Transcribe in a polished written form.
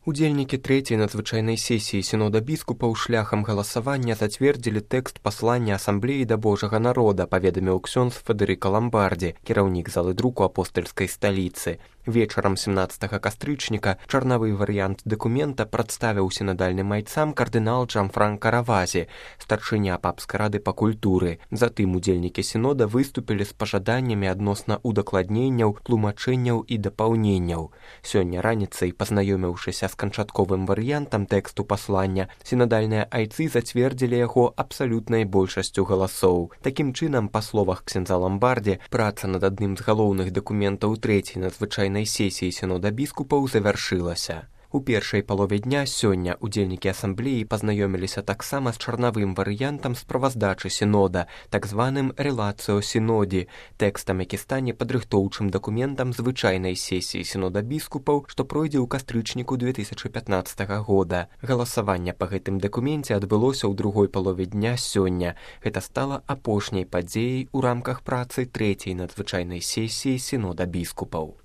Удзельнікі трэцяй надзвычайнай сесіі сінода біскупаў шляхам галасавання зацвердзілі тэкст паслання асамблеі да Божага народа, паведаміў ксёндз Федэрыка Ламбардзі, кіраўнік залы друку апостальскай сталіцы. Вечарам 17 кастрычніка чарнавы варыянт дакумента прадставіў сінадальным майцам кардынал Джанфранка Равазі, старшыня папскай рады па культуры. Затым удзельнікі сінода выступілі з пажаданнямі адносна удакладненняў, тлумачэнняў і дапаўненняў. Сёння раніцай, пазнаёміўшыся з канчатковым варыянтам тэксту паслання, сінадальныя айцы зацвердзілі яго абсалютнай большасцю галасоў. Такім чынам, па словах ксяндза Ламбардзі, праца над адным з галоўных дакументаў трэцяй надзвычайнай сесіі сінода біскупаў завяршылася. У першай палове дня сёння удзельнікі асамблеі пазнаёміліся таксама з чарнавым варыянтам справаздачы сінода, так званым релацыо сінодзе, тэкстам, які стане падрыхтоўчым дакументам звычайнай сесіі сінода біскупаў, што пройдзе ў кастрычніку 2015 года. Галасаванне па гэтым дакуменце адбылося ў другой палове дня сёння. Гэта стала апошняй падзеяй у рамках працы трэцяй надзвычайнай сесіі сінода біскупаў.